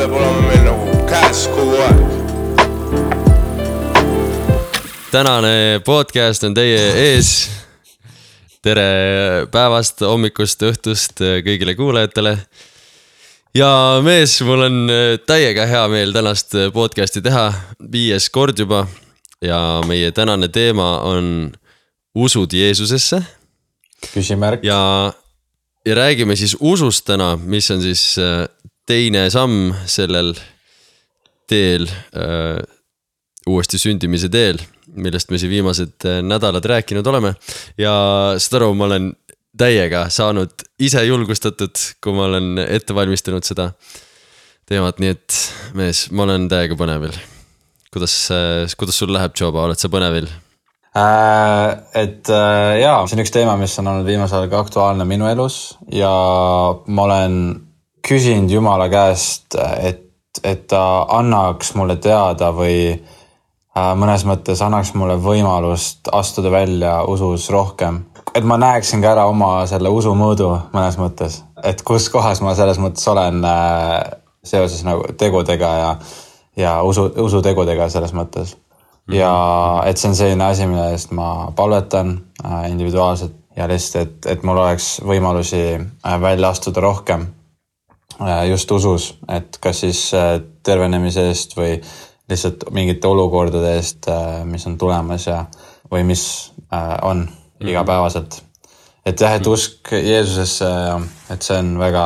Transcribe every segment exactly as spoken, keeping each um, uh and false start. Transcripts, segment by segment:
peab olema meil nagu käes kogu aeg. Tänane podcast on teie ees. Tere päevast, hommikust, õhtust kõigile kuulajatele. Ja mees, mul on täiega hea meel tänast podcasti teha, viies kord juba. Ja meie tänane teema on usud Jeesusesse. Küsimärk. Ja, ja räägime siis usust täna, mis on siis teine samm sellel teel, äh, uuesti sündimise teel, millest me siin viimased nädalad rääkinud oleme. Ja seda aru, ma olen täiega saanud ise julgustatud, kui ma olen ette valmistanud seda teemat, nii et mees, ma olen täiega põnevil. Kuidas, kuidas sul läheb, Joba, oled sa põnevil? Äh, et äh, jaa, see on üks teema, mis on olnud viimasel aega aktuaalne minu elus ja ma olen küsinud Jumala käest, et, et ta annaks mulle teada või mõnes mõttes annaks mulle võimalust astuda välja usus rohkem. Et ma näeksin ka ära oma selle usu mõõdu mõnes mõttes. Et kus kohas ma selles mõttes olen seoses nagu tegudega ja, ja usu, usu tegudega selles mõttes. Ja et see on selline asi, mille eest ma palvetan individuaalselt ja lihtsalt, et, et mul oleks võimalusi välja astuda rohkem just usus. Et kas siis tervenemise eest või lihtsalt mingite olukordade eest, mis on tulemas ja, või mis on igapäevaselt. Et jah, et usk Jeesusesse, et see on väga,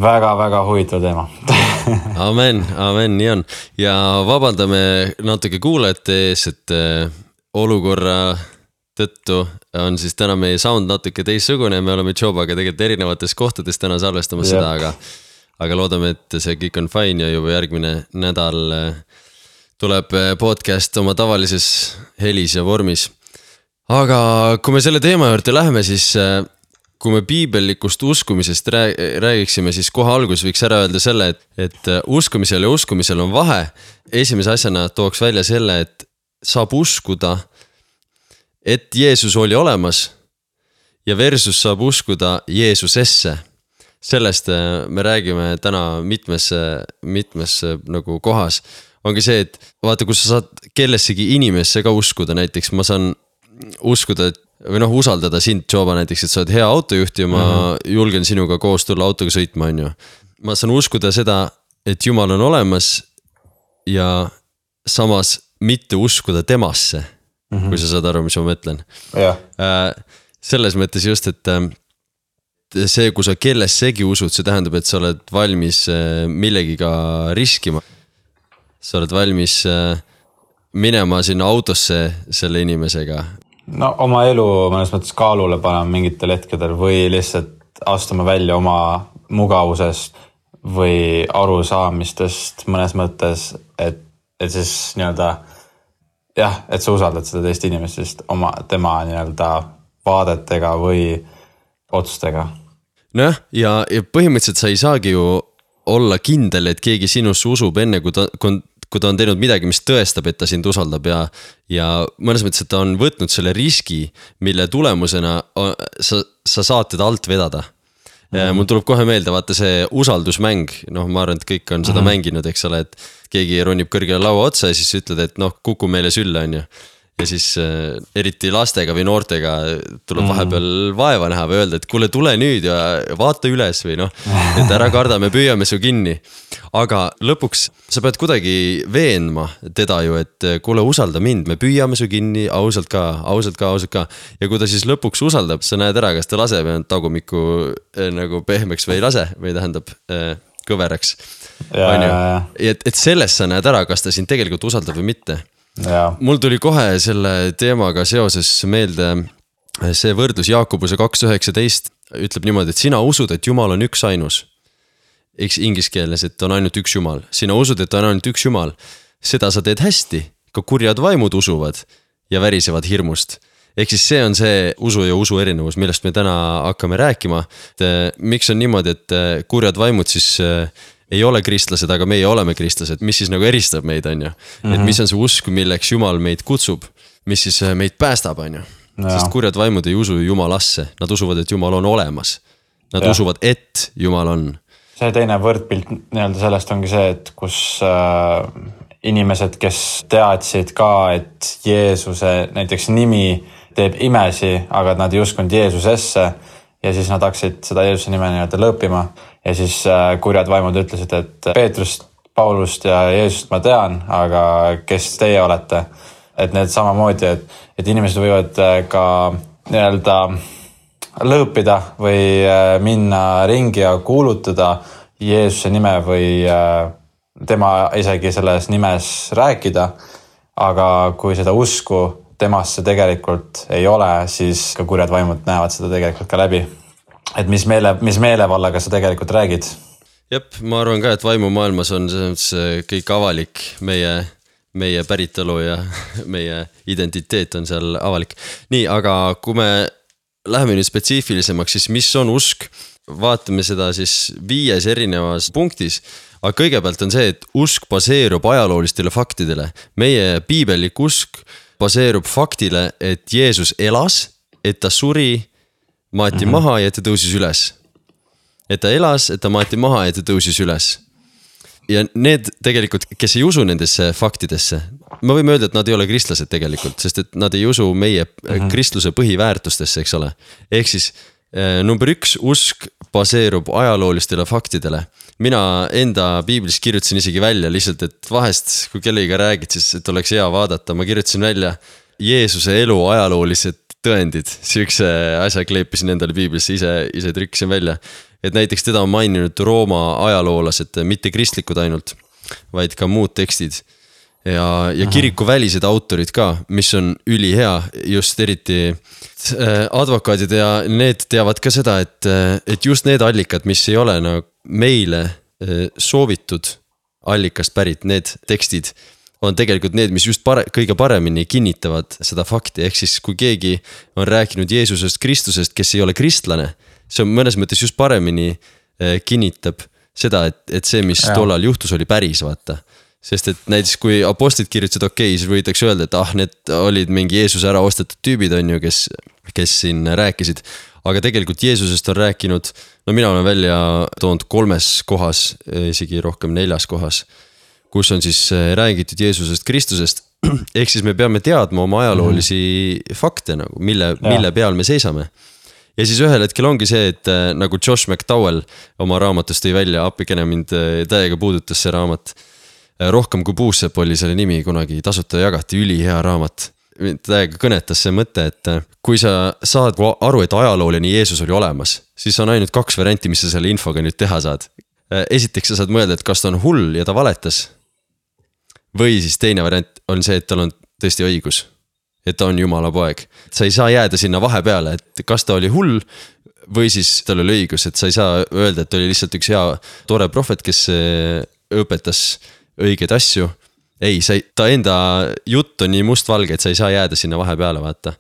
väga, väga huvitav teema. Amen, amen, nii on. Ja vabandame natuke kuulajate ees, et olukorra tõttu on siis täna meie sound natuke teissugune. Me oleme Jobaga tegelikult erinevates kohtades täna salvestamas seda, aga, aga loodame, et see kõik on fine ja juba järgmine nädal tuleb podcast oma tavalises helis ja vormis. Aga kui me selle teema juurde läheme, siis kui me piibellikust uskumisest räägiksime, siis kohe algus võiks ära öelda selle, et, et uskumisel ja uskumisel on vahe. Esimese asjana tooks välja selle, et saab uskuda, et Jeesus oli olemas ja versus saab uskuda Jeesusesse. Sellest me räägime täna mitmes, mitmes nagu kohas. Ongi see, et vaata, kus sa saad kellessegi inimesse ka uskuda, näiteks ma saan uskuda, et, või noh, usaldada sind, Joba, näiteks, et sa oled hea autojuht ja ma mm-hmm. julgen sinuga koos tulla autoga sõitma, on ju. Ma saan uskuda seda, et Jumal on olemas ja samas mitte uskuda temasse, mm-hmm. kui sa saad aru, mis ma mõtlen. Yeah. Selles mõttes just, et see, kui sa kellessegi usud, see tähendab, et sa oled valmis millegiga riskima. Sa oled valmis minema sinna autosse selle inimesega? No oma elu mõnes mõttes kaalule panema mingitel hetkedel või lihtsalt astuma välja oma mugavusest või arusaamistest mõnes mõttes, et, et siis nii-öelda jah, et sa usaldad seda teist inimesest oma, tema nii-öelda vaadetega või otsustega. No ja, ja põhimõtteliselt sa ei saagi ju olla kindel, et keegi sinusse usub enne, kui ta, kui ta on teinud midagi, mis tõestab, et ta sind usaldab ja, ja mõnes mõttes, et ta on võtnud selle riski, mille tulemusena sa, sa saad teda alt vedada. Mm-hmm. Mul tuleb kohe meelde, vaata see usaldusmäng, noh, ma arvan, et kõik on seda mm-hmm. mänginud, eks ole, et keegi ronib kõrgele laua otsa ja siis ütled, et noh, kuku meile sülle, on ju. Ja siis äh, eriti lastega või noortega tuleb vahepeal vaeva näha või öelda, et kuule, tule nüüd ja vaata üles või noh, et ära karda, me püüame su kinni. Aga lõpuks sa pead kuidagi veenma teda ju, et kuule, usalda mind, me püüame su kinni, ausalt ka, ausalt ka, ausalt ka. Ja kui ta siis lõpuks usaldab, sa näed ära, kas ta laseb tagumiku äh, nagu pehmeks või ei lase või tähendab äh, kõveraks. Ja, ja, ja. Et, et selles sa näed ära, kas ta sind tegelikult usaldab või mitte. Ja. Mul tuli kohe selle teemaga seoses meelde see võrdlus Jaakobuse kaks üheksateist ütleb niimoodi, et sina usud, et Jumal on üks ainus. Eks inglise keeles, et on ainult üks Jumal. Sina usud, et on ainult üks Jumal. Seda sa teed hästi, ka kurjad vaimud usuvad ja värisevad hirmust. Ehk siis see on see usu ja usu erinevus, millest me täna hakkame rääkima. Et, miks on niimoodi, et kurjad vaimud siis ei ole kristlased, aga meie oleme kristlased, mis siis nagu eristab meid, on ju. Mm-hmm. Et mis on see usk, milleks Jumal meid kutsub, mis siis meid päästab, on ju. Ja. Sest kurjad vaimud ei usu Jumalasse, nad usuvad, et Jumal on olemas. Nad ja. usuvad, et Jumal on. see teine võrdpilt nii-öelda sellest ongi see, et kus äh, inimesed, kes teadsid ka, et Jeesuse näiteks nimi teeb imesi, aga nad ei uskunud Jeesusesse ja siis nad hakkasid seda Jeesuse nime nii-öelda lõppima ja siis äh, kurjad vaimud ütlesid, et Peetrust, Paulust ja Jeesust ma tean, aga kes teie olete? Et need samamoodi, et, et inimesed võivad ka nii-öelda lõõpida või minna ringi ja kuulutada Jeesuse nime või tema isegi selles nimes rääkida. Aga kui seda usku temasse tegelikult ei ole, siis ka kurjad vaimud näevad seda tegelikult ka läbi. Et mis, meele, mis meelevallaga sa tegelikult räägid? Jep, ma arvan ka, et vaimumaailmas on see kõik avalik, meie meie päritolu ja meie identiteet on seal avalik. Nii, aga kui me läheme nüüd spetsiifilisemaks, siis mis on usk? Vaatame seda siis viies erinevas punktis. Aga kõigepealt on see, et usk baseerub ajaloolistele faktidele. Meie piibellik usk baseerub faktile, et Jeesus elas, et ta suri, maati mm-hmm. maha ja ta tõusis üles. Et ta elas, et ta maati maha ja ta tõusis üles. Ja need tegelikult, kes ei usu nendesse faktidesse, me võime öelda, et nad ei ole kristlased tegelikult, sest et nad ei usu meie mm-hmm. kristluse põhiväärtustesse, eks ole. Ehk siis number üks, usk baseerub ajaloolistele faktidele. Mina enda piiblis kirjutasin isegi välja lihtsalt, et vahest, kui kellega räägid, siis et oleks hea vaadata. Ma kirjutasin välja Jeesuse elu ajaloolised tõendid. Sihukese asja kleepisin endale piiblisse, ise, ise trükkisin välja. Et näiteks teda on maininud Rooma ajaloolased, mitte kristlikud ainult, vaid ka muud tekstid. Ja, ja kiriku välised autorid ka, mis on ülihea, just eriti advokaadid ja need teavad ka seda, et, et just need allikad, mis ei ole nagu meile soovitud allikast pärit, need tekstid on tegelikult need, mis just pare, kõige paremini kinnitavad seda fakti. Ehk siis kui keegi on rääkinud Jeesusest Kristusest, kes ei ole kristlane, see on mõnes mõttes just paremini kinnitab seda, et, et see, mis ja. Tollal juhtus, oli päris, vaata. Sest et näiteks kui apostlid kirjutasid okei, siis võidakse öelda, et ah, need olid mingi Jeesuse ära ostetud tüübid on ju, kes, kes siin rääkisid. Aga tegelikult Jeesusest on rääkinud, no mina olen välja toonud kolmes kohas, isegi rohkem neljas kohas, kus on siis räägitud Jeesusest Kristusest. Ehk siis me peame teadma oma ajaloolisi mm-hmm. fakte, nagu, mille, mille peal me seisame. Ja siis ühel hetkel ongi see, et nagu Josh McDowell oma raamatust tõi välja, appikene mind täiega puudutas see raamat. Rohkem kui puussepp oli selle nimi, kunagi tasuta jagati, üli hea raamat. Täiega kõnetas see mõte, et kui sa saad aru, et ajaloolini Jeesus oli olemas, siis on ainult kaks varianti, mis sa selle infoga nüüd teha saad. Esiteks sa saad mõelda, et kas ta on hull ja ta valetas. Või siis teine variant on see, et tal on tõesti õigus. Et ta on Jumala poeg. Sa ei saa jääda sinna vahepeale, et kas ta oli hull või siis tal oli õigus, et sa ei saa öelda, et ta oli lihtsalt üks hea tore prohvet, kes õpetas õigeid asju. Ei, sa ei, ta enda jutt on nii mustvalge, et sa ei saa jääda sinna vahepeale, vaata.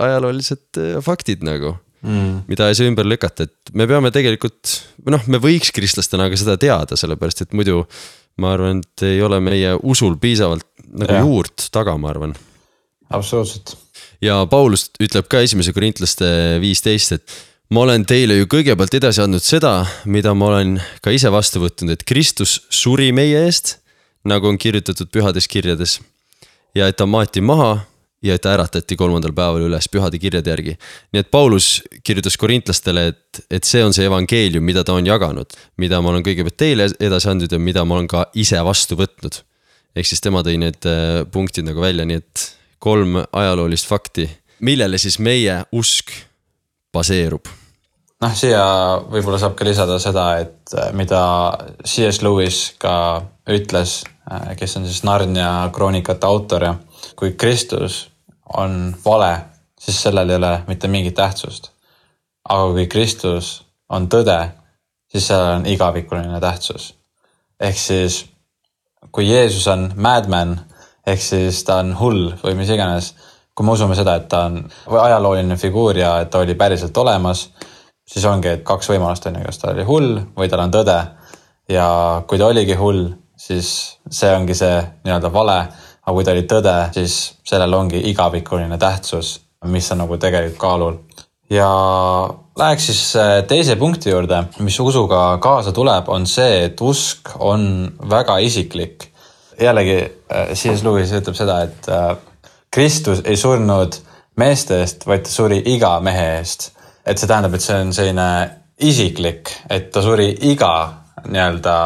Ajaloolised faktid nagu, mm. mida ei saa ümber lükata, et me peame tegelikult, noh, me võiks kristlastena aga seda teada, sellepärast, et muidu ma arvan, et ei ole meie usul piisavalt nagu ja. Juurt taga, ma arvan. Absoluutselt. Ja Paulus ütleb ka esimese korintlaste viisteist, et ma olen teile ju kõigepealt edasi andnud seda, mida ma olen ka ise vastu võtnud, et Kristus suri meie eest, nagu on kirjutatud pühades kirjades, ja et ta maati maha ja et ta äratati kolmandal päeval üles pühade kirjade järgi. Nii et Paulus kirjutas korintlastele, et, et see on see evangeelium, mida ta on jaganud, mida ma olen kõigepealt teile edasi andnud ja mida ma olen ka ise vastu võtnud. Ehk siis tema tõi need punktid nagu välja, nii et kolm ajaloolist fakti, millele siis meie usk baseerub. Noh, siia võib-olla saab ka lisada seda, et mida C S Lewis ka ütles, kes on siis Narnia kroonikate autor ja kui Kristus on vale, siis sellel ei ole mitte mingit tähtsust. Aga kui Kristus on tõde, siis sellel on igavikuline tähtsus. Ehk siis, kui Jeesus on madman, ehk siis ta on hull või mis iganes, kui me usume seda, et ta on ajalooline figuur ja et ta oli päriselt olemas, siis ongi, et kaks võimalust on, kas ta oli hull või tal on tõde. Ja kui ta oligi hull, siis see ongi see nii-öelda vale, aga kui ta oli tõde, siis sellel ongi igavikuline tähtsus, mis on nagu tegelikult kaalul. Ja Läheks siis teise punkti juurde, mis usuga kaasa tuleb, on see, et usk on väga isiklik. Jällegi, C S Lewis ütleb seda, et Kristus ei surnud meeste eest, vaid ta suri iga mehe eest. Et see tähendab, et see on selline isiklik, et ta suri iga nii-öelda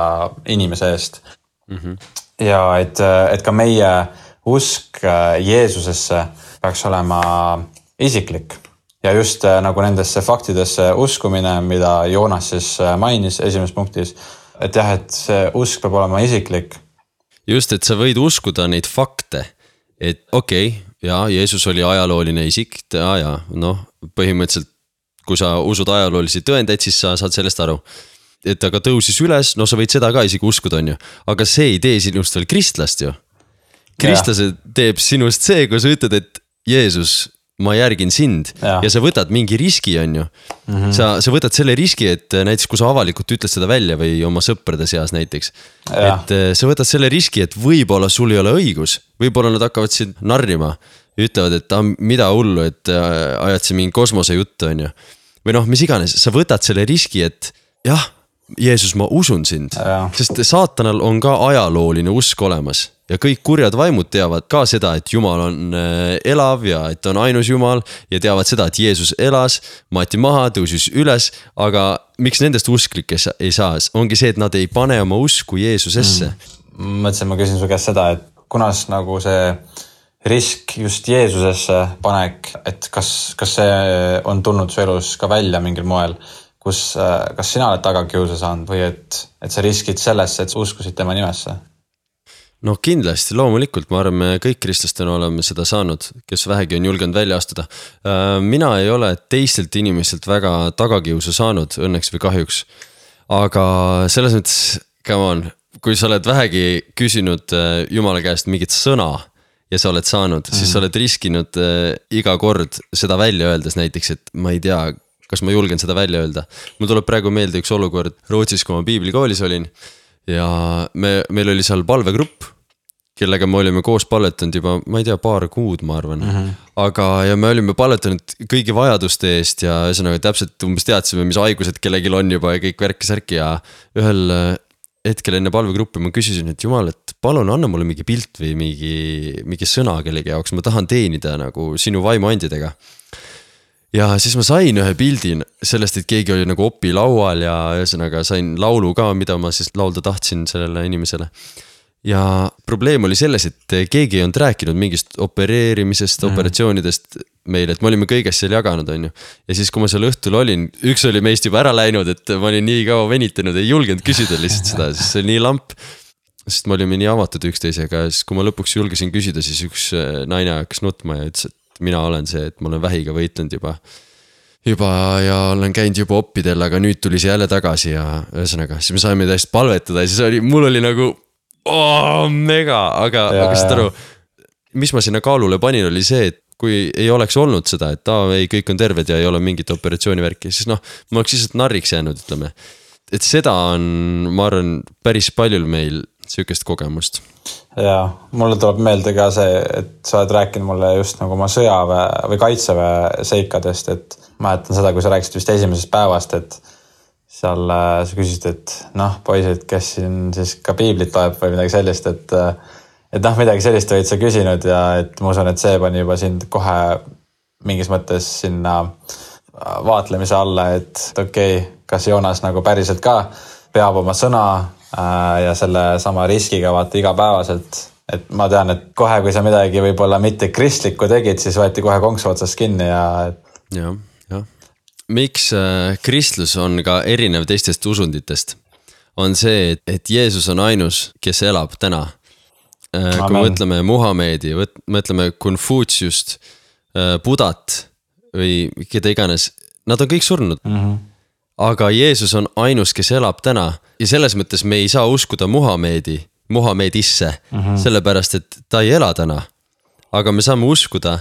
inimese eest. Mm-hmm. Ja et, et ka meie usk Jeesusesse peaks olema isiklik. Ja just nagu nendesse faktidesse uskumine, mida Joonas siis mainis esimeses punktis, et jah, et see usk peab olema isiklik. Just, et sa võid uskuda neid fakte, et okei, okay, ja Jeesus oli ajalooline isik, ja, ja noh, põhimõtteliselt kui sa usud ajaloolisi tõendeid, siis sa saad sellest aru. Et aga tõusis üles, no sa võid seda ka isegi uskuda, on ju. Aga see ei tee sinust veel kristlast ju. Kristlase teeb sinust see, kui sa ütled, et Jeesus, ma järgin sind ja, ja sa võtad mingi riski, on ju. Mm-hmm. Sa, sa võtad selle riski, et näiteks kui sa avalikult ütled seda välja või oma sõprade seas näiteks, ja. Et sa võtad selle riski, et võib-olla sul ei ole õigus, võib-olla nad hakkavad sind narrima, ütlevad, et ah, mida hullu, et ajad see mingi kosmose juttu, on ju. Või noh, mis iganes, sa võtad selle riski, et jah, Jeesus, ma usun sind, ja. Sest saatanal on ka ajalooline usk olemas ja kõik kurjad vaimud teavad ka seda, et Jumal on elav ja et on ainus Jumal ja teavad seda, et Jeesus elas, maati maha, tõusis üles, aga miks nendest usklikes ei saa, ongi see, et nad ei pane oma usku Jeesusesse. Mm. Mõtlesin, ma küsin su käest seda, et kunas nagu see risk just Jeesusesse panek, et kas, kas see on tulnud su elus ka välja mingil moel, kus, kas sina oled tagakiusa saanud või et, et sa riskid sellesse, et uskusid tema nimesse? No kindlasti, loomulikult, ma arvan, me kõik kristlastena oleme seda saanud, kes vähegi on julgenud välja astuda. Mina ei ole teistelt inimestelt väga tagakiusa saanud, õnneks või kahjuks. Aga selles mõttes, come on, kui sa oled vähegi küsinud Jumala käest mingit sõna ja sa oled saanud, mm. siis sa oled riskinud iga kord seda välja öeldes näiteks, et ma ei tea, kas ma julgen seda välja öelda. Mul tuleb praegu meelde üks olukord Rootsis, kui ma piiblikoolis olin ja me, meil oli seal palvegrupp, kellega me olime koos palvetanud juba, ma ei tea, paar kuud, ma arvan. Mm-hmm. Aga ja me olime palvetanud kõigi vajaduste eest ja ühesõnaga täpselt umbes teadsime, mis haigused kellegil on juba ja kõik värki-särki ja ühel hetkel enne palvegruppi ma küsisin, et Jumal, et palun anna mulle mingi pilt või mingi, mingi sõna kellegi jaoks, ma tahan teenida nagu sinu vaimuandidega. Ja siis ma sain ühe pildi sellest, et keegi oli nagu opi laual ja ühesõnaga sain laulu ka, mida ma siis laulda tahtsin sellele inimesele. Ja probleem oli selles, et keegi ei olnud rääkinud mingist opereerimisest, mm. operatsioonidest meile, et me olime kõigest seal jaganud, on ju. Ja siis, kui ma seal õhtul olin, üks oli meist juba ära läinud, et ma olin nii kaua venitanud, ei julgenud küsida lihtsalt seda, siis see oli nii lamp, sest me olime nii avatud üksteisega ja siis, kui ma lõpuks julgesin küsida, siis üks naine hakkas nutma ja ütles, et mina olen see, et ma olen vähiga võitlenud juba, juba ja olen käinud juba oppidel, aga nüüd tuli see jälle tagasi ja ühesõnaga, siis me saime täiesti palvetada ja siis oli, mul oli nagu oh, mega, aga, ja, aga seda aru, mis ma sinna kaalule panin, oli see, et kui ei oleks olnud seda, et aa, ei, kõik on terved ja ei ole mingit operatsioonivärki, siis noh, ma oleks lihtsalt narriks jäänud, ütleme. Et seda on, ma arvan, päris paljul meil sükest kogemust. Ja mulle tuleb meelde ka see, et sa oled rääkinud mulle just nagu oma sõjaväe või kaitseväe seikadest, et mäletan seda, kui sa rääkisid vist esimesest päevast, et seal sa küsisid, et noh, poisid, kes siin siis ka piiblit loeb või midagi sellist, et, et noh, midagi sellist olid sa küsinud ja et ma usun, et see pani juba sind kohe mingis mõttes sinna vaatlemise alla, et okei, okay, kas Joonas nagu päriselt ka peab oma sõna ja selle sama riskiga vaata igapäevaselt, et ma tean, et kohe, kui sa midagi võib-olla mitte kristlikku tegid, siis võeti kohe konksu otsast kinni ja... Ja, ja. Miks kristlus on ka erinev teistest usunditest, on see, et Jeesus on ainus, kes elab täna. Amen. Kui mõtleme Muhamedi, mõtleme Konfutsiust, Budat või keda iganes, nad on kõik surnud. Mm-hmm. Aga Jeesus on ainus, kes elab täna ja selles mõttes me ei saa uskuda Muhamedi, Muhamedisse, mm-hmm. sellepärast, et ta ei ela täna. Aga me saame uskuda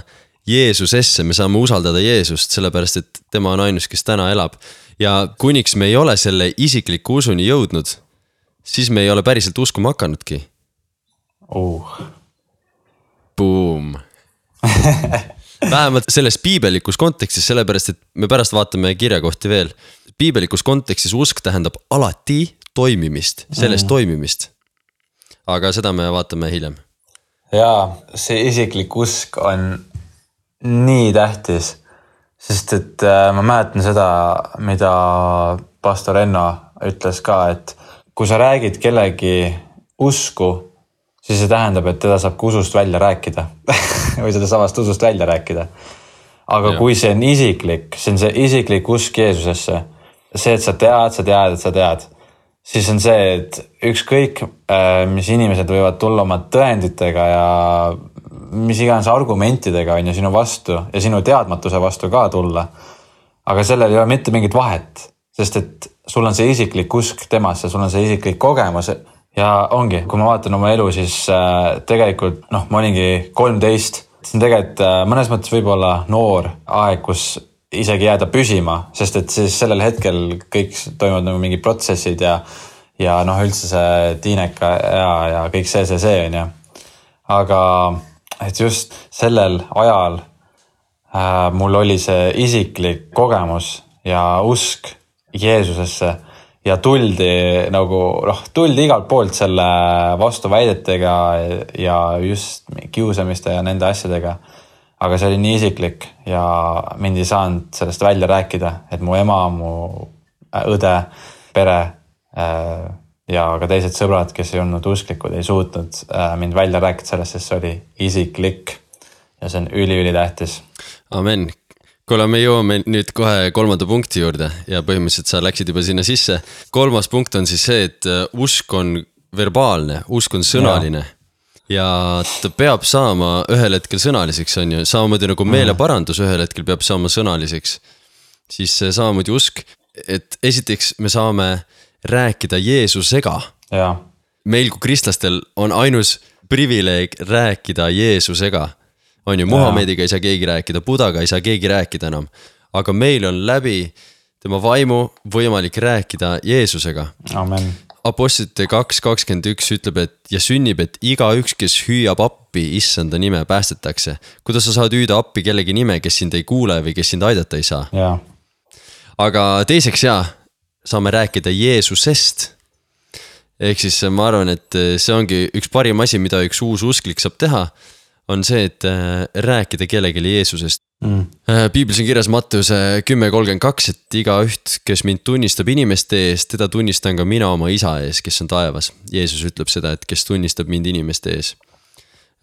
Jeesusesse, me saame usaldada Jeesust, sellepärast, et tema on ainus, kes täna elab. Ja kuniks me ei ole selle isikliku usuni jõudnud, siis me ei ole päriselt uskuma hakanudki. Oh. Boom. vähemalt selles piibelikus kontekstis, sellepärast, et me pärast vaatame kirjakohti veel. Piibelikus kontekstis usk tähendab alati toimimist, sellest mm. toimimist. Aga seda me vaatame hiljem. Jaa, see isiklik usk on nii tähtis, sest et ma mäletan seda, mida pastor Enno ütles ka, et kui sa räägid kellegi usku, siis see tähendab, et teda saab usust välja rääkida või seda samast usust välja rääkida. Aga ja. Kui see on isiklik, see on see isiklik usk Jeesusesse, see, et sa tead, sa tead, et sa tead, siis on see, et ükskõik, mis inimesed võivad tulla oma tõenditega ja mis iganes argumentidega on ju sinu vastu ja sinu teadmatuse vastu ka tulla. Aga sellel ei ole mitte mingit vahet, sest et sul on see isiklik usk temasse, sul on see isiklik kogemus. Ja ongi, kui ma vaatan oma elu, siis äh, tegelikult, noh, ma olingi kolmteist, see on tegelikult äh, mõnes mõttes võib-olla noor aeg, kus isegi jääda püsima, sest et siis sellel hetkel kõik toimuvad nagu mingid protsessid ja, ja noh, üldse see tiineka ja, ja kõik see, see, see on ja. Aga et just sellel ajal äh, mul oli see isiklik kogemus ja usk Jeesusesse. Ja tuldi nagu, noh, tuldi igalt poolt selle vastuväidetega ja just kiusamiste ja nende asjadega. Aga see oli nii isiklik ja mind ei saanud sellest välja rääkida, et mu ema, mu õde, pere ja ka teised sõbrad, kes ei olnud usklikud, ei suutnud mind välja rääkida sellest, sest see oli isiklik ja see on üli-üli tähtis. Amen. Kuule, me jõuame nüüd kohe kolmanda punkti juurde ja põhimõtteliselt sa läksid juba sinna sisse. Kolmas punkt on siis see, et usk on verbaalne, usk on sõnaline ja, ja ta peab saama ühel hetkel sõnaliseks, on ju, samamoodi nagu meeleparandus ühel hetkel peab saama sõnaliseks. Siis samamoodi usk, et esiteks me saame rääkida Jeesusega. Ja. Meil kui kristlastel on ainus privileeg rääkida Jeesusega. On ju, Muhamediga ei saa keegi rääkida, Budaga ei saa keegi rääkida enam. Aga meil on läbi tema vaimu võimalik rääkida Jeesusega. Amen. Apostlite kaks kakskümmend üks ütleb, et ja sünnib, et iga üks, kes hüüab appi issanda nime, päästetakse. Kuidas sa saad hüüda appi kellegi nime, kes sind ei kuule või kes sind aidata ei saa? Ja. Aga teiseks jaa, saame rääkida Jeesusest. Ehk siis ma arvan, et see ongi üks parim asi, mida üks uus usklik saab teha, on see, et rääkida kellelegi Jeesusest. Mm. Piiblis on kirjas Matteuse kümme kolmkümmend kaks, et iga üht, kes mind tunnistab inimeste ees, teda tunnistan ka mina oma isa ees, kes on taevas. Jeesus ütleb seda, et kes tunnistab mind inimeste ees.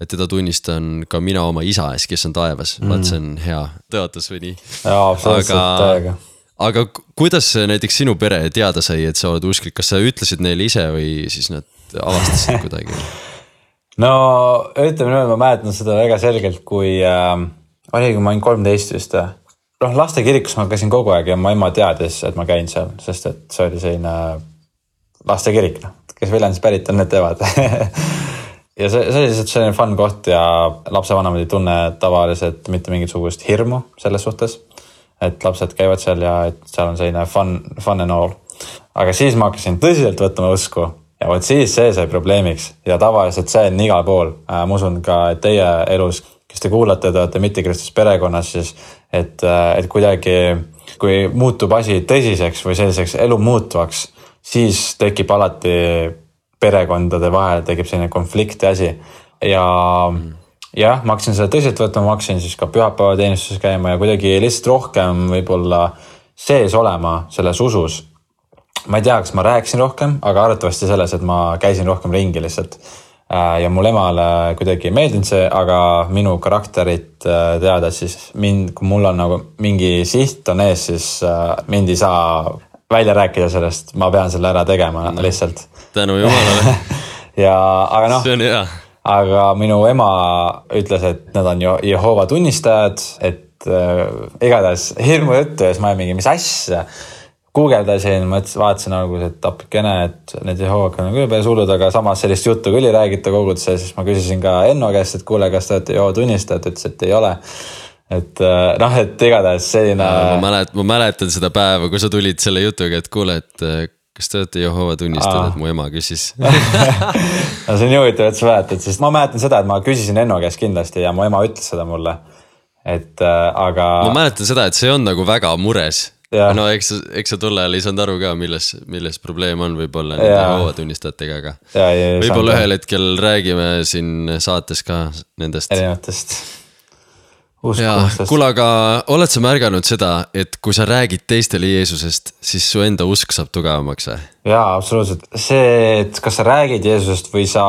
Et teda tunnistan ka mina oma isa ees, kes on taevas. Mm. Vaat see on hea tõotus või nii. Jaa, absoluutselt täiega. Aga kuidas näiteks sinu pere teada sai, et sa oled usklik? Kas sa ütlesid neile ise või siis nad avastasid kuidagi? No ütleme nüüd, ma mäletan seda väga selgelt, kui äh, oli, kui ma olin kolmteist vist. noh, laste kirikus ma käisin kogu aeg ja ma ema teadis, et ma käin seal, sest et see oli selline laste kirik, kes Viljandis pärit on, need teevad. ja see, see oli lihtsalt selline fun koht ja lapsevanemad ei tunne tavaliselt mitte mingisugust hirmu selles suhtes, et lapsed käivad seal ja et seal on selline fun, fun and all. Aga siis ma hakkasin tõsiselt võtma usku ja võt siis see sai probleemiks ja tavaliselt see on igal pool. Ma usun ka, et teie elus, kes te kuulate, te olete mitte-kristus perekonnas, siis et, et kuidagi, kui muutub asi tõsiseks või selliseks elu muutvaks, siis tekib alati perekondade vahel, tekib selline konflikti asi. Ja mm. jah, ma hakkasin seda tõsiselt võtma, ma hakkasin siis ka pühapäeva teenistuses käima ja kuidagi lihtsalt rohkem võib-olla sees olema selles usus. Ma ei tea, kas ma rääkisin rohkem, aga arvatavasti selles, et ma käisin rohkem ringi lihtsalt. Ja mul emale kuidagi meeldinud see, aga minu karakterit teada, siis mind, kui mul on nagu mingi siht on ees, siis mind ei saa välja rääkida sellest, ma pean selle ära tegema no, lihtsalt. Tänu jumalale. ja, aga noh, see on hea. Aga minu ema ütles, et nad on Jehova tunnistajad, et äh, igatahes hirmu juttu ja siis ma ei mingi, mis asja. Guugeldasin, ma vaatasin nagu, et apikene, et need Jehovaga on küll päris hullud, aga samas sellist juttu küll ei räägita koguduse, siis ma küsisin ka Enno käest, et kuule, kas te olete Jehova tunnistajad, ütles, et ei ole. Et noh, et igatahes selline... Ma, mälet, ma mäletan seda päeva, kui sa tulid selle jutuga, et kuule, et kas te olete Jehova tunnistajad, et mu ema küsis. no see on juhitav, et sa mäletad, sest ma mäletan seda, et ma küsisin Enno käest kindlasti ja mu ema ütles seda mulle. et äh, aga. ma mäletan seda, et see on nagu väga mures. Ja. No eks, eks sa tolle ajal ei saanud aru ka, milles, milles probleem on võib-olla nende hoovatunnistajatega, aga ja, ja, võib-olla ühel hetkel räägime siin saates ka nendest. Erinevatest. Kuule, aga oled sa märganud seda, et kui sa räägid teistele Jeesusest, siis su enda usk saab tugevamaks või? Jaa, absoluutselt. See, et kas sa räägid Jeesusest või sa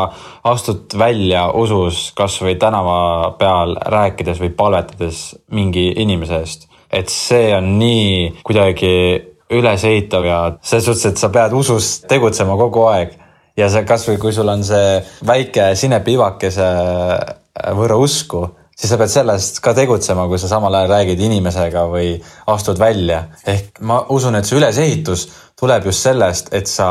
astud välja usus kas või tänava peal rääkides või palvetades mingi inimese eest, et see on nii kuidagi ülesehitav ja selles suhtes, et sa pead usus tegutsema kogu aeg ja see kas või kui sul on see väike sinepiivakese võrra usku, siis sa pead sellest ka tegutsema, kui sa samal ajal räägid inimesega või astud välja. Ehk ma usun, et see ülesehitus tuleb just sellest, et sa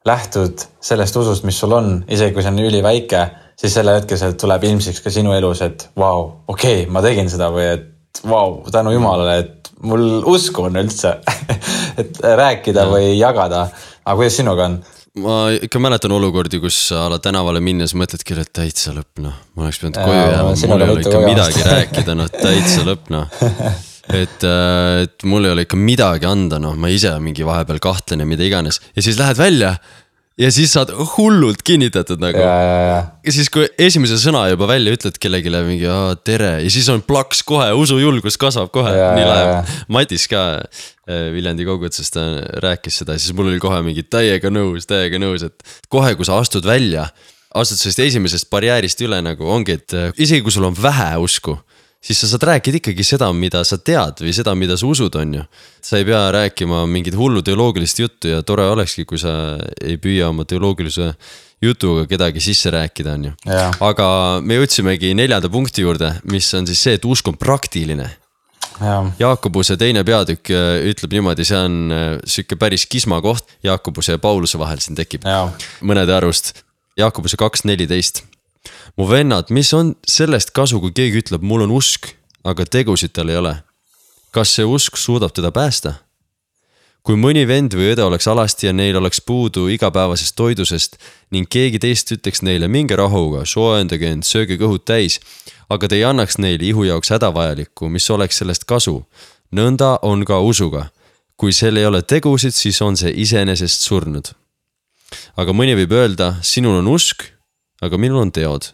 lähtud sellest usust, mis sul on, isegi kui see on üli väike, siis selle hetkel see tuleb ilmsiks ka sinu elus, et vau, okei, okay, ma tegin seda või et vau, tänu Jumalale, et mul usku on üldse, et rääkida ja. Või jagada. Aga kuidas sinuga on? Ma ikka mäletan olukordi, kus sa ala tänavale minnes mõtledki, et täitsa lõpp, noh. Ma oleks pidanud koju jääma, mul ei ole ikka midagi rääkida, noh, täitsa lõpp, noh. Et, et mul ei ole ikka midagi anda, noh, ma ise mingi vahepeal kahtlen ja mida iganes. Ja siis lähed välja ja siis saad hullult kinnitatud nagu. Ja, ja, ja. Ja siis kui esimese sõna juba välja ütled kellegile mingi tere ja siis on plaks kohe, usujulgus kasvab kohe. Ja, nii läheb. Matis ka Viljandi kogutsest rääkis seda, siis mul oli kohe mingi täiega nõus, täiega nõus, et kohe kui sa astud välja, astud sellest esimesest barjäärist üle nagu ongi, et isegi kui sul on vähe usku, siis sa saad rääkida ikkagi seda, mida sa tead või seda, mida sa usud on ju. Sa ei pea rääkima mingit hullu teoloogilist juttu ja tore olekski, kui sa ei püüa oma teoloogilise jutuga kedagi sisse rääkida on ju. Ja. Aga me jõudsimegi neljanda punkti juurde, mis on siis see, et usk on praktiline. Ja. Jaakobuse teine peatükk ütleb niimoodi, see on süke päris kisma koht Jaakobuse ja Pauluse vahel siin tekib ja. Mõnede arust. Jaakobuse kaks neliteist. Mu vennad, mis on sellest kasu, kui keegi ütleb, mul on usk, aga tegusid tal ei ole? Kas see usk suudab teda päästa? Kui mõni vend või õde oleks alasti ja neil oleks puudu igapäevasest toidusest ning keegi teist ütleks neile minge rahuga, soojendage end, sööge kõhud täis, aga te ei annaks neile ihu jaoks hädavajalikku, mis oleks sellest kasu. Nõnda on ka usuga. Kui sel ei ole tegusid, siis on see iseenesest surnud. Aga mõni võib öelda, sinul on usk, aga minul on teod.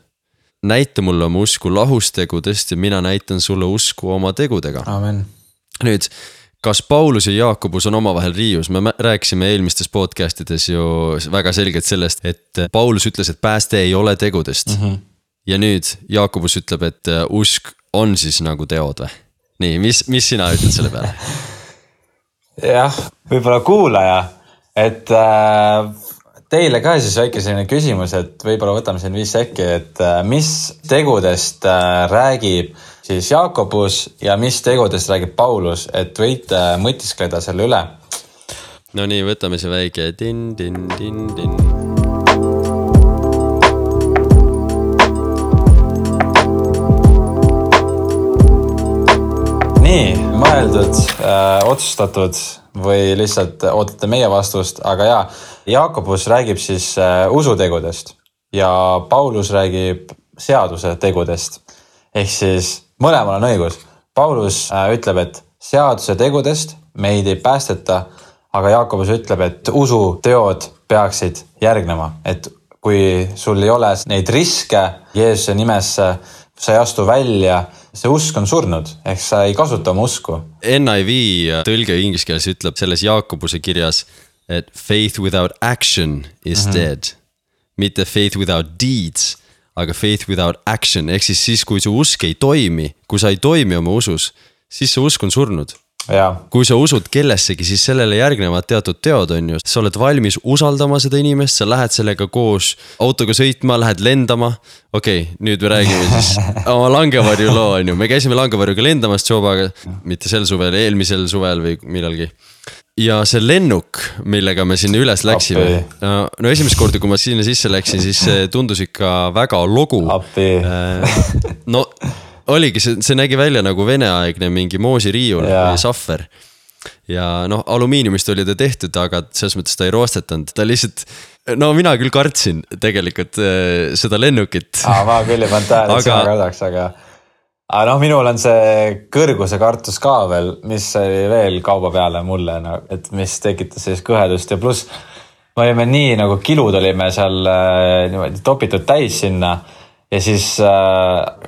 Näita mulle oma usku lahustegudest ja mina näitan sulle usku oma tegudega. Amen. Nüüd, kas Paulus ja Jaakobus on omavahel riius? Me rääkisime eelmistes podcastides ju väga selgelt sellest, et Paulus ütles, et pääste ei ole tegudest. Mm-hmm. Ja nüüd Jaakobus ütleb, et usk on siis nagu teod või? Nii, mis, mis sina ütled selle peale? Jah, võib-olla kuulaja, et äh, teile ka siis väike selline küsimus, et võib-olla võtame siin viis sekki, et äh, mis tegudest äh, räägib siis Jaakobus ja mis tegudest räägib Paulus, et võite mõtiskleda selle üle. No nii, võtame see väike din, din, din, din. Nii, mõeldud, äh, otsustatud või lihtsalt ootate meie vastust, aga jaa, Jaakobus räägib siis äh, usutegudest ja Paulus räägib seaduse tegudest. Ehk siis mõlemal on õigus. Paulus äh, ütleb, et seaduse tegudest meid ei päästeta, aga Jaakobus ütleb, et usu teod peaksid järgnema. Et kui sul ei ole neid riske Jeesuse nimesse, sa ei astu välja, see usk on surnud, ehk sa ei kasuta oma usku. N I V tõlge inglise keeles ütleb selles Jaakobuse kirjas, et faith without action is mm-hmm. dead. Mitte faith without deeds, aga faith without action, ehk siis siis, kui su usk ei toimi, kui sa ei toimi oma usus, siis see usk on surnud. Ja. Kui sa usud kellessegi, siis sellele järgnevad teatud teod on ju. Sa oled valmis usaldama seda inimest, sa lähed sellega koos autoga sõitma, lähed lendama. Okei, okay, nüüd me räägime siis oma Langevarju loo on ju. Me käisime Langevarjuga lendamas Jobaga, mitte sel suvel, eelmisel suvel või millalgi. Ja see lennuk, millega me sinna üles läksime. No, no esimest korda, kui ma sinna sisse läksin, siis see tundus ikka väga logu. Appi. No oligi, see, see nägi välja nagu veneaegne mingi moosiriiul või sahver. Ja noh, alumiiniumist oli ta tehtud, aga selles mõttes ta ei roostetanud. Ta lihtsalt, no mina küll kartsin tegelikult seda lennukit. Aa, ma küll ei pannud tähele, et aga... sina kardaks, aga... aga noh, minul on see kõrguse kartus ka veel, mis oli veel kauba peale mulle, no, et mis tekitas sellist kõhedust ja pluss me olime nii nagu kilud olime seal niimoodi topitud täis sinna ja siis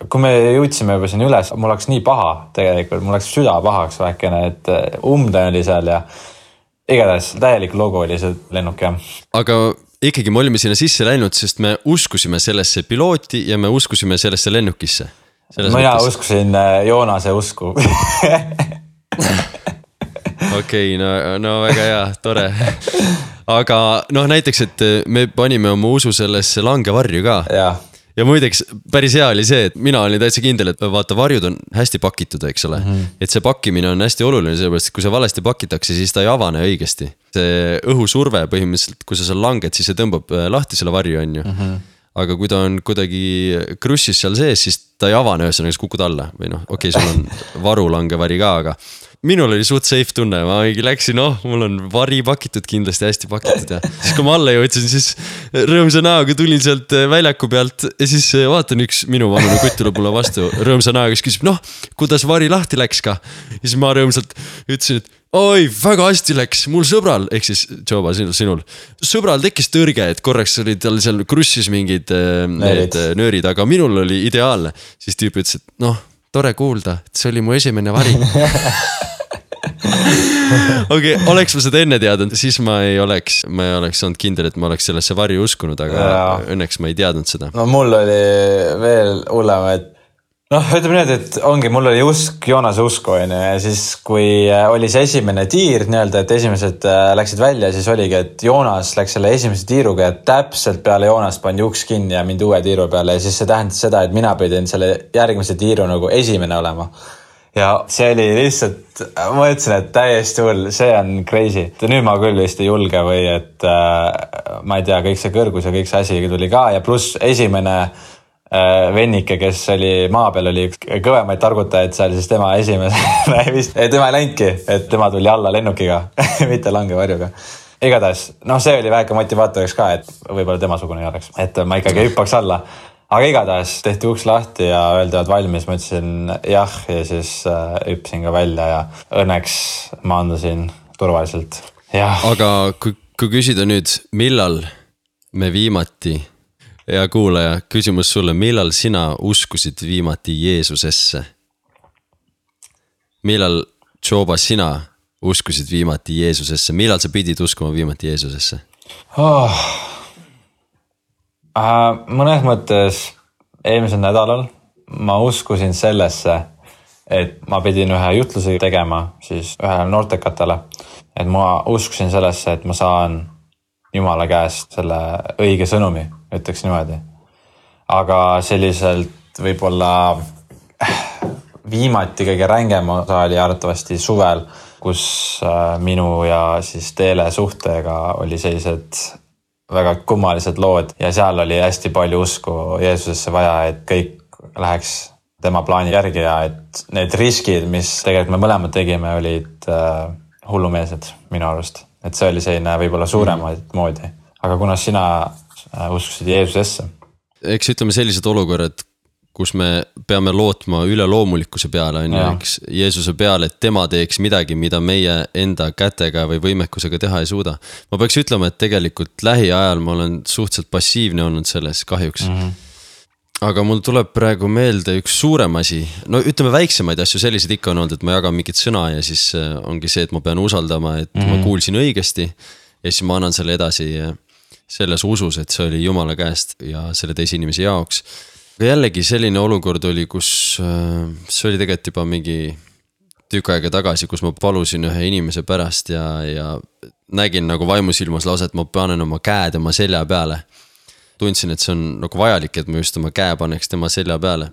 kui me jõudsime juba siin üles, mul oleks nii paha tegelikult, mul oleks süda pahaks väikene, et umde oli seal ja igatahes täielik logo oli see lennuk jah. Aga ikkagi me olime sinna sisse läinud, sest me uskusime sellesse pilooti ja me uskusime sellesse lennukisse. Mina uskusin Joonase usku. Okei, no, no väga hea, tore. Aga noh, näiteks, et me panime oma usu sellesse langevarju ka. Ja. Ja muideks päris hea oli see, et mina olin täitsa kindel, et vaata varjud on hästi pakitud, eks ole. Mm-hmm. Et see pakkimine on hästi oluline, sellepärast, et kui see valesti pakitakse, siis ta ei avane õigesti. See õhusurve põhimõtteliselt, kui sa seal langed, siis see tõmbab lahti selle varju, on ju. Mm-hmm. Aga kui ta on kuidagi krussis seal sees, siis ta ei avane ühesõnaga, kukud alla. Või noh, okei, sul on varulangevari ka, aga minul oli suht safe tunne, ma läksin, noh, mul on vari pakitud, kindlasti hästi pakitud ja siis kui ma alla jõudsin, siis rõõmsa näoga tulin sealt väljaku pealt ja siis vaatan üks minu vanune kutt tuleb mulle vastu rõõmsa näoga, kes küsib, noh, kuidas vari lahti läks ka? Ja siis ma rõõmsalt ütlesin, et oi, väga hästi läks, mul sõbral, ehk siis Joba, sinul, sõbral tekkis tõrge, et korraks oli tal seal krussis mingid need nöörid, aga minul oli ideaalne. Siis tüüp ütles, et noh, tore kuulda, et see oli mu esimene vari. Okei, okay, oleks ma seda enne teadnud, siis ma ei oleks, ma ei oleks olnud kindel, et ma oleks sellesse varju uskunud, aga ja. Õnneks ma ei teadnud seda. No mul oli veel hullem, et noh, ütleme nüüd, et ongi, mul oli usk, Joonase usku on ja siis kui oli see esimene tiir nii-öelda, et esimesed läksid välja, siis oligi, et Joonas läks selle esimese tiiruga ja täpselt peale Joonast pandi uks kinni ja mind uue tiiru peale ja siis see tähendas seda, et mina pidin selle järgmise tiiru nagu esimene olema. Ja see oli lihtsalt, ma ütlesin, et täiesti hull, see on crazy. Nüüd ma küll vist ei julge või et äh, ma ei tea, kõik see kõrgus ja kõik see asi tuli ka ja pluss esimene äh, vennike, kes oli maa peal, oli kõvemaid targutajaid seal, siis tema esimese vist, tema ei läinudki, et tema tuli alla lennukiga, mitte langevarjuga. Igatahes, noh see oli väike motivaatoriks ka, et võib-olla tema sugune ei oleks, et ma ikkagi hüppaks alla. Aga igatahes tehti uks lahti ja öeldi, et valmis, ma ütlesin jah ja siis hüppisin ka välja ja õnneks maandusin turvaliselt. Ja. Aga kui, kui küsida nüüd, millal me viimati, ja kuulaja, küsimus sulle, millal sina uskusid viimati Jeesusesse? Millal, Joba, sina uskusid viimati Jeesusesse? Millal sa pidid uskuma viimati Jeesusesse? Oh. Uh, mõnes mõttes eelmisel nädalal ma uskusin sellesse, et ma pidin ühe jutluse tegema siis ühele noortekatele, et ma uskusin sellesse, et ma saan Jumala käest selle õige sõnumi, ütleks niimoodi. Aga selliselt võib-olla viimati kõige rängem osa oli arvatavasti suvel, kus minu ja siis Teele suhtega oli sellised väga kummalised lood ja seal oli hästi palju usku Jeesusesse vaja, et kõik läheks tema plaani järgi ja et need riskid, mis tegelikult me mõlemad tegime, olid äh, hullumeelsed minu arust. Et see oli selline võib-olla suuremaid mm. moodi. Aga kuna sina äh, uskusid Jeesusesse? Eks ütleme sellised olukorrad, kus me peame lootma üle loomulikkuse peale, on ju, eks Jeesuse peale, et tema teeks midagi, mida meie enda kätega või võimekusega teha ei suuda. Ma peaks ütlema, et tegelikult lähiajal ma olen suhteliselt passiivne olnud selles kahjuks. Mm-hmm. Aga mul tuleb praegu meelde üks suurem asi. No ütleme väiksemaid asju, sellised ikka on olnud, et ma jagan mingit sõna ja siis ongi see, et ma pean usaldama, et mm-hmm. ma kuulsin õigesti ja siis ma annan selle edasi selles usus, et see oli Jumala käest ja selle teise inimese jaoks. Aga jällegi selline olukord oli, kus see oli tegelikult juba mingi tükk aega tagasi, kus ma palusin ühe inimese pärast ja, ja nägin nagu vaimusilmas lausa, et ma panen oma käe tema selja peale. Tundsin, et see on nagu vajalik, et ma just oma käe paneks tema selja peale.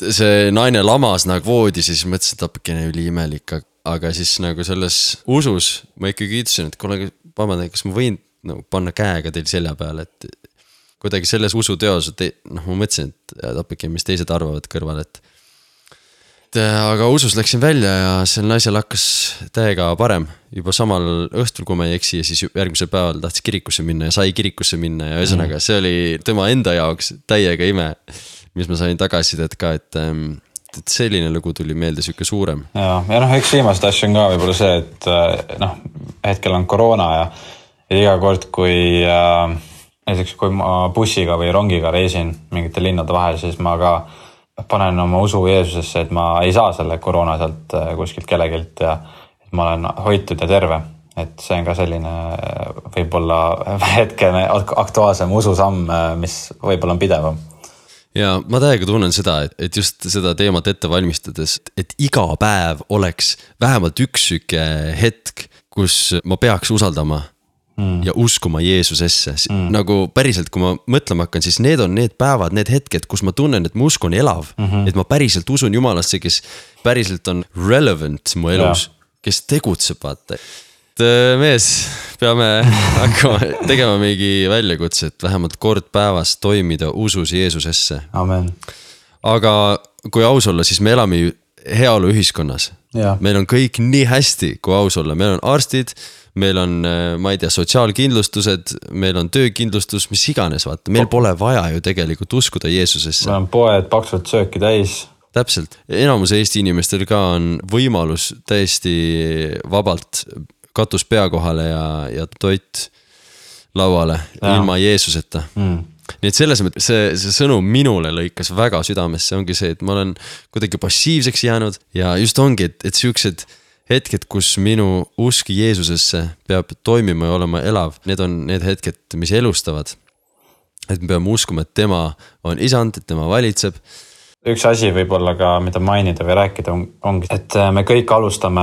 See naine lamas nagu voodi, siis mõtlesin, et apakene üli imelik, aga siis nagu selles usus ma ikkagi ütlesin, et kuule, vabandan, kas ma võin nagu panna käega teil selja peale, et kuidagi selles usuteos, et noh, ma mõtlesin, et apike, mis teised arvavad kõrval, et, et aga usus läksin välja ja sel naisel hakkas täiega parem juba samal õhtul, kui ma ei eksi ja siis järgmisel päeval tahtis kirikusse minna ja sai kirikusse minna ja ühesõnaga see oli tema enda jaoks täiega ime, mis ma sain tagasisidet ka, et et selline lugu tuli meelde siuke suurem. Ja, ja noh, üks viimased asju on ka võib-olla see, et noh, hetkel on koroona ja, ja iga kord, kui äh, näiteks kui ma bussiga või rongiga reisin mingite linnade vahel, siis ma ka panen oma usu Jeesusesse, et ma ei saa selle koroona sealt kuskilt kellegilt ja et ma olen hoitud ja terve. Et see on ka selline võib-olla hetkene aktuaalsem ususamm, mis võib-olla on pidevam. Ja ma täiega tunnen seda, et just seda teemat ette valmistades, et iga päev oleks vähemalt üks süke hetk, kus ma peaks usaldama mm. ja uskuma Jeesusesse. Mm. Nagu päriselt, kui ma mõtlema hakkan, siis need on need päevad, need hetked, kus ma tunnen, et mu usk on elav. Mm-hmm. Et ma päriselt usun Jumalasse, kes päriselt on relevant mu elus, ja. Kes tegutseb, vaata. Mees, peame hakkama tegema mingi väljakutse, et vähemalt kord päevas toimida usus Jeesusesse. Amen. Aga kui aus olla, siis me elame heaolu ühiskonnas. Ja. Meil on kõik nii hästi, kui aus olla. Meil on arstid, meil on, ma ei tea, sotsiaalkindlustused, meil on töökindlustus, mis iganes, vaata. Meil pole vaja ju tegelikult uskuda Jeesusesse. Meil on poed paksult sööki täis. Täpselt. Enamus Eesti inimestel ka on võimalus täiesti vabalt katus pea kohale ja, ja toit lauale ja. Ilma Jeesuseta. Mm. Nii et selles mõttes see, see sõnum minule lõikas väga südamesse, ongi see, et ma olen kuidagi passiivseks jäänud ja just ongi, et, et siuksed hetked, kus minu usk Jeesusesse peab toimima ja olema elav, need on need hetked, mis elustavad. Et me peame uskuma, et tema on isand, et tema valitseb. Üks asi võib-olla ka, mida mainida või rääkida on, ongi, et me kõik alustame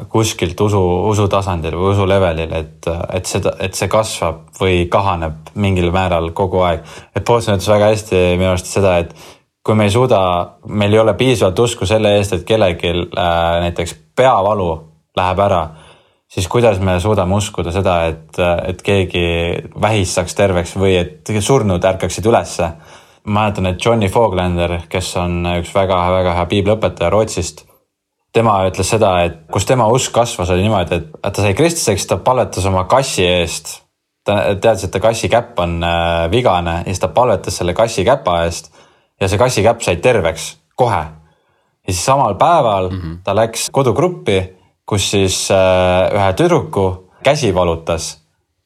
kuskilt usu, usu tasandil või usu levelil, et, et, seda, et see kasvab või kahaneb mingil määral kogu aeg. Et Paulson ütles väga hästi minu arust seda, et kui me ei suuda, meil ei ole piisavalt usku selle eest, et kellelgi äh, näiteks peavalu läheb ära, siis kuidas me suudame uskuda seda, et, et keegi vähis saaks terveks või et surnud ärkaksid ülesse. Ma mäletan, et Johnny Foglander, kes on üks väga-väga hea piibliõpetaja Rootsist, tema ütles seda, et kus tema usk kasvas, oli niimoodi, et ta sai kristuseks, ta palvetas oma kassi eest. Ta teadis, et ta kassi käpp on vigane ja siis ta palvetas selle kassi käpa eest ja see kassi käpp sai terveks kohe. Ja siis samal päeval mm-hmm. ta läks kodugruppi, kus siis ühe tüdruku käsi valutas.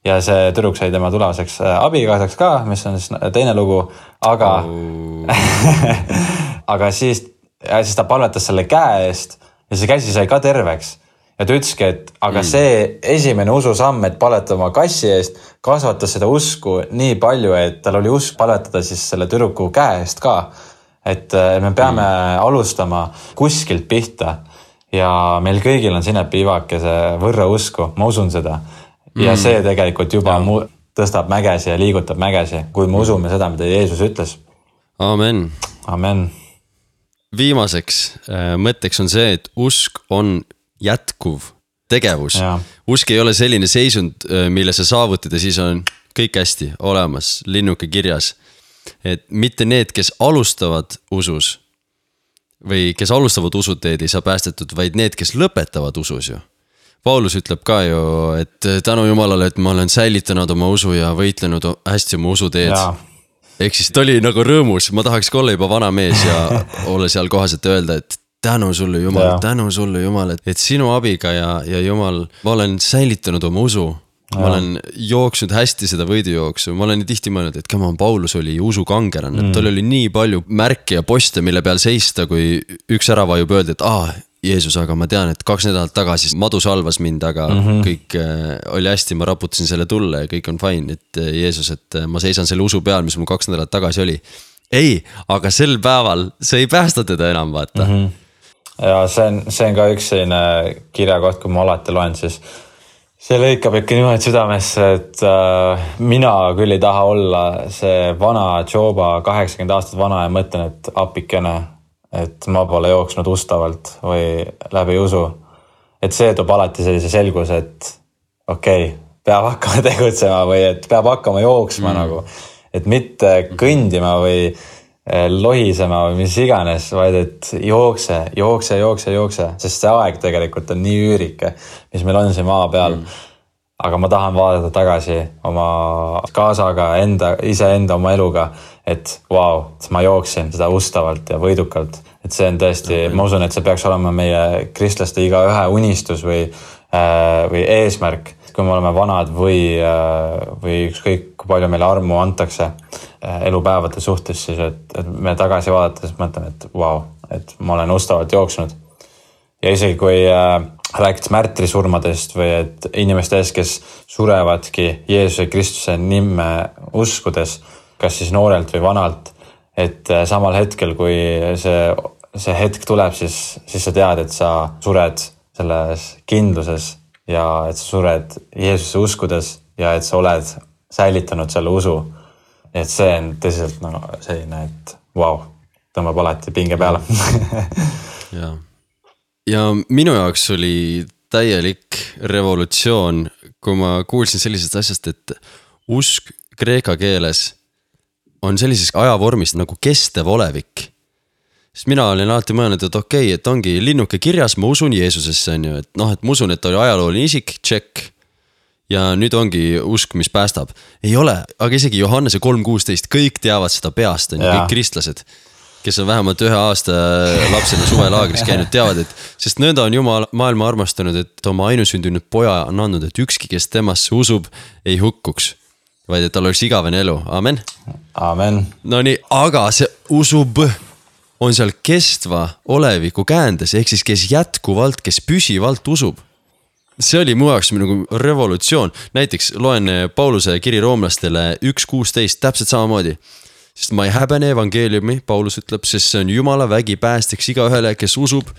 Ja see tüdruk sai tema tulevaseks abikaasaks ka, mis on siis teine lugu, aga, oh. aga siis, siis ta palvetas selle käe eest ja see käsi sai ka terveks. Ja ta ütleski, et aga mm. see esimene ususamm, et palvetada oma kassi eest, kasvatas seda usku nii palju, et tal oli usk palvetada siis selle tüdruku käe eest ka. Et me peame mm. alustama kuskilt pihta ja meil kõigil on sinna piivakese võrra usku, ma usun seda. Ja see tegelikult juba mu- tõstab mägesi ja liigutab mägesi, kui me usume seda, mida Jeesus ütles. Amen. Amen. Viimaseks äh, mõtteks on see, et usk on jätkuv tegevus. Ja. Usk ei ole selline seisund, mille sa saavutid ja siis on kõik hästi olemas, linnuke kirjas. Et mitte need, kes alustavad usus või kes alustavad usuteed ei saa päästetud, vaid need, kes lõpetavad usus ju. Paulus ütleb ka ju, et tänu Jumalale, et ma olen säilitanud oma usu ja võitlenud hästi oma usuteed. Ehk siis ta oli nagu rõõmus, ma tahaks ka olla juba vana mees ja olla seal kohas, et öelda, et tänu sulle Jumal, tänu sulle Jumal, et, et sinu abiga ja, ja Jumal, ma olen säilitanud oma usu. Ma ja. Olen jooksnud hästi seda võidujooksu, ma olen nii tihti mõelnud, et come on, Paulus oli usukangeran, mm. et tal oli nii palju märke ja poste, mille peal seista, kui üks ära vajub öelda, et aa, Jeesus, aga ma tean, et kaks nädalat tagasi madu salvas mind, aga mm-hmm. kõik äh, oli hästi, ma raputasin selle tulle ja kõik on fine, et äh, Jeesus, et äh, ma seisan selle usu peal, mis mul kaks nädalat tagasi oli. Ei, aga sel päeval see ei päästa teda enam, vaata. Mm-hmm. Ja see on, see on ka üks selline kirjakoht, kui ma alati loen, siis see lõikab ikka niimoodi südamesse, et äh, mina küll ei taha olla see vana Joba kaheksakümmend aastat vana ja mõtlen, et apikene, et ma pole jooksnud ustavalt või läbi usu. Et see toob alati sellise selguse, et okei, okay, peab hakkama tegutsema või et peab hakkama jooksma mm. nagu. Et mitte kõndima või lohisema või mis iganes, vaid et jookse, jookse, jookse, jookse. Sest see aeg tegelikult on nii üürike, mis meil on siin maa peal. Mm. Aga ma tahan vaadata tagasi oma kaasaga, enda, ise enda oma eluga, et vau, wow, ma jooksin seda ustavalt ja võidukalt. et see on tõesti, ma usun, et see peaks olema meie kristlaste iga ühe unistus või, või eesmärk, kui me oleme vanad või, või ükskõik, kui palju meile armu antakse elupäevade suhtes, siis et, et me tagasi vaadates mõtleme, et vau, wow, et ma olen ustavalt jooksnud. Ja isegi kui äh, rääkid märtrisurmadest või et inimestest, kes surevadki Jeesuse Kristuse nime uskudes, kas siis noorelt või vanalt, et äh, samal hetkel, kui see, see hetk tuleb, siis, siis sa tead, et sa sured selles kindluses ja et sa sured Jeesuse uskudes ja et sa oled säilitanud selle usu. Et see on tõsiselt no, selline, et vau, wow, tõmbab alati pinge peale. Jaa. Ja minu jaoks oli täielik revolutsioon, kui ma kuulsin sellisest asjast, et usk kreeka keeles on sellises ajavormist nagu kestev olevik. Sest mina olin alati mõelnud, et okei, et ongi linnuke kirjas, ma usun Jeesusesse, on ju, et noh, et ma usun, et oli ajalooline isik, check. Ja nüüd ongi usk, mis päästab. Ei ole, aga isegi Johannese kolm kuusteist, kõik teavad seda peast, on ju, kõik kristlased, kes on vähemalt ühe aasta lapsena suvelaagris käinud, teavad, et sest nõnda on Jumal maailma armastanud, et oma ainusündinud poja on andnud, et ükski, kes temasse usub, ei hukkuks, vaid et tal oleks igavene elu. Amen. Amen. No nii, aga see usub on seal kestva oleviku käändes, ehk siis kes jätkuvalt, kes püsivalt usub. See oli mu jaoks nagu revolutsioon. Näiteks loen Pauluse kiri roomlastele üks kuusteist täpselt samamoodi. Sest ma ei häbene evangeeliumi, Paulus ütleb, sest see on Jumala vägi päästeks iga ühele, kes usub,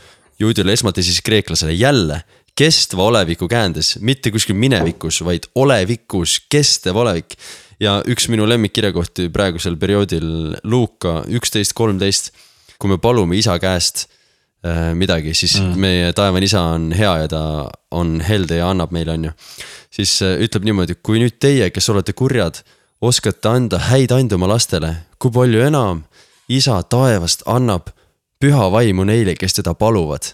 juudile esmalt ja siis kreeklasele jälle kestva oleviku käändes, mitte kuskil minevikus, vaid olevikus, kestev olevik. Ja üks minu lemmikkirjakohti praegusel perioodil Luuka üksteist kolmteist, kui me palume isa käest äh, midagi, siis mm. meie taevane isa on hea ja ta on helde ja annab meile, on ju. Siis äh, ütleb niimoodi, kui nüüd teie, kes olete kurjad, oskate anda häid anda oma lastele, kui palju enam isa taevast annab püha vaimu neile, kes teda paluvad.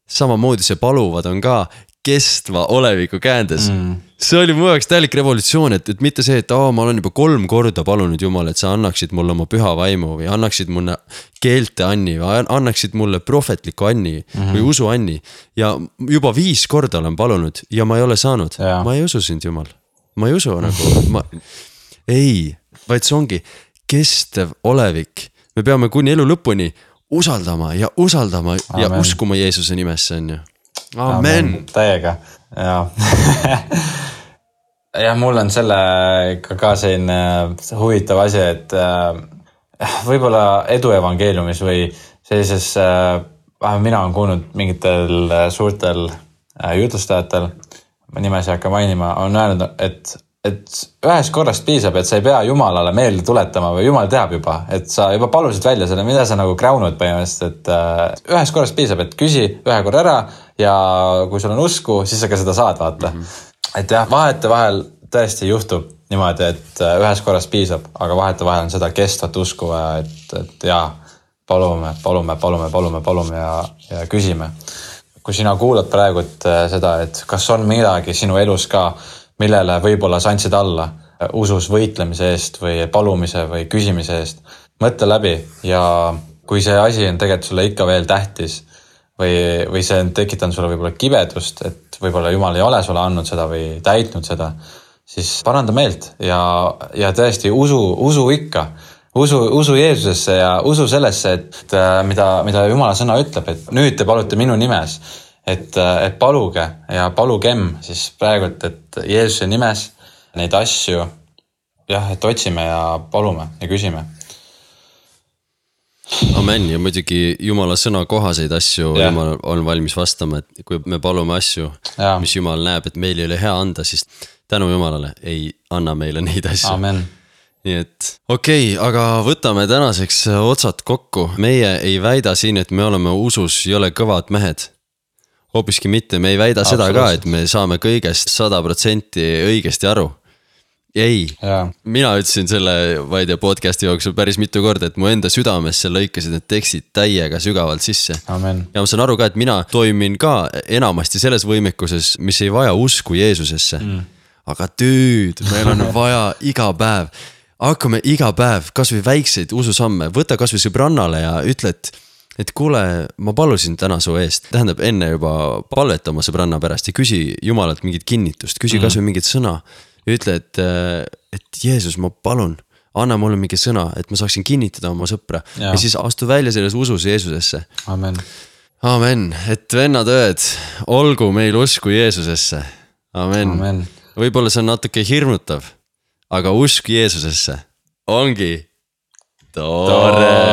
Samamoodi see paluvad on ka kestva oleviku käändes. Mm. See oli mu jaoks täielik revolutsioon, et, et mitte see, et aa, ma olen juba kolm korda palunud Jumal, et sa annaksid mulle oma püha vaimu või annaksid mulle keelte anni või annaksid mulle prohvetliku anni mm-hmm. või usu anni. Ja juba viis korda olen palunud ja ma ei ole saanud. Ja. Ma ei usu sind, Jumal. Ma ei usu nagu... Ma... Ei, vaid see ongi kestev olevik. Me peame kuni elu lõpuni usaldama ja usaldama Amen. Ja uskuma Jeesuse nimesse, on ju. Amen. Amen. Täiega. Ja. ja mul on selle ka selline huvitav asi, et võib-olla edu evangeeliumis või sellises, mina olen kuulnud mingitel suurtel jutlustajatel, ma nimesi hakka mainima, on öelnud, et et ühest korrast piisab, et sa ei pea Jumalale meelde tuletama või Jumal teab juba, et sa juba palusid välja selle, mida sa nagu kräunud põhimõtteliselt, et ühest korrast piisab, et küsi ühe korra ära ja kui sul on usku, siis sa ka seda saad vaata. Mm-hmm. Et jah, vahete vahel tõesti juhtub niimoodi, et ühest korrast piisab, aga vahete vahel on seda kestvat usku, et, et jaa, palume, palume, palume, palume, palume ja, ja küsime. Kui sina kuulad praegu et seda, et kas on midagi sinu elus ka, millele võib-olla sa andsid alla usus võitlemise eest või palumise või küsimise eest. Mõtle läbi ja kui see asi on tegelikult sulle ikka veel tähtis või, või see on tekitanud sulle võib-olla kibedust, et võib-olla Jumal ei ole sulle andnud seda või täitnud seda, siis paranda meelt ja, ja tõesti usu, usu ikka. Usu, usu Jeesusesse ja usu sellesse, et mida, mida Jumala sõna ütleb, et nüüd te palute minu nimes. Et, et paluge ja palugem siis praegult, et Jeesuse nimes neid asju, jah, et otsime ja palume ja küsime. Amen ja muidugi Jumala sõna kohaseid asju ja. Jumal on valmis vastama, et kui me palume asju, ja. Mis Jumal näeb, et meil ei ole hea anda, siis tänu Jumalale ei anna meile neid asju. Amen. Nii et okei, okay, aga võtame tänaseks otsad kokku. Meie ei väida siin, et me oleme usus ei ole kõvad mehed. Hoopiski mitte, me ei väida seda ka, et me saame kõigest sada protsenti õigesti aru. Ei, ja. Mina ütlesin selle vaide podcasti jooksul päris mitu korda, et mu enda südamesse lõikasid need tekstid täiega sügavalt sisse. Amen. Ja ma saan aru ka, et mina toimin ka enamasti selles võimekuses, mis ei vaja usku Jeesusesse. Mm. Aga tüüd, meil on vaja iga päev. Hakkame iga päev kas või väikseid ususamme, võta kas või sõbrannale ja ütle, et et kuule, ma palusin täna su eest, tähendab enne juba palveta oma sõbranna pärast ja küsi Jumalalt mingit kinnitust, küsi mm. kas või mingit sõna. Ütle, et, et Jeesus, ma palun, anna mulle mingi sõna, et ma saaksin kinnitada oma sõpra ja, ja siis astu välja selles usus Jeesusesse. Amen. Amen, et vennad ööd, olgu meil usku Jeesusesse. Amen, Amen. Võib-olla see on natuke hirmutav, aga usk Jeesusesse ongi tore.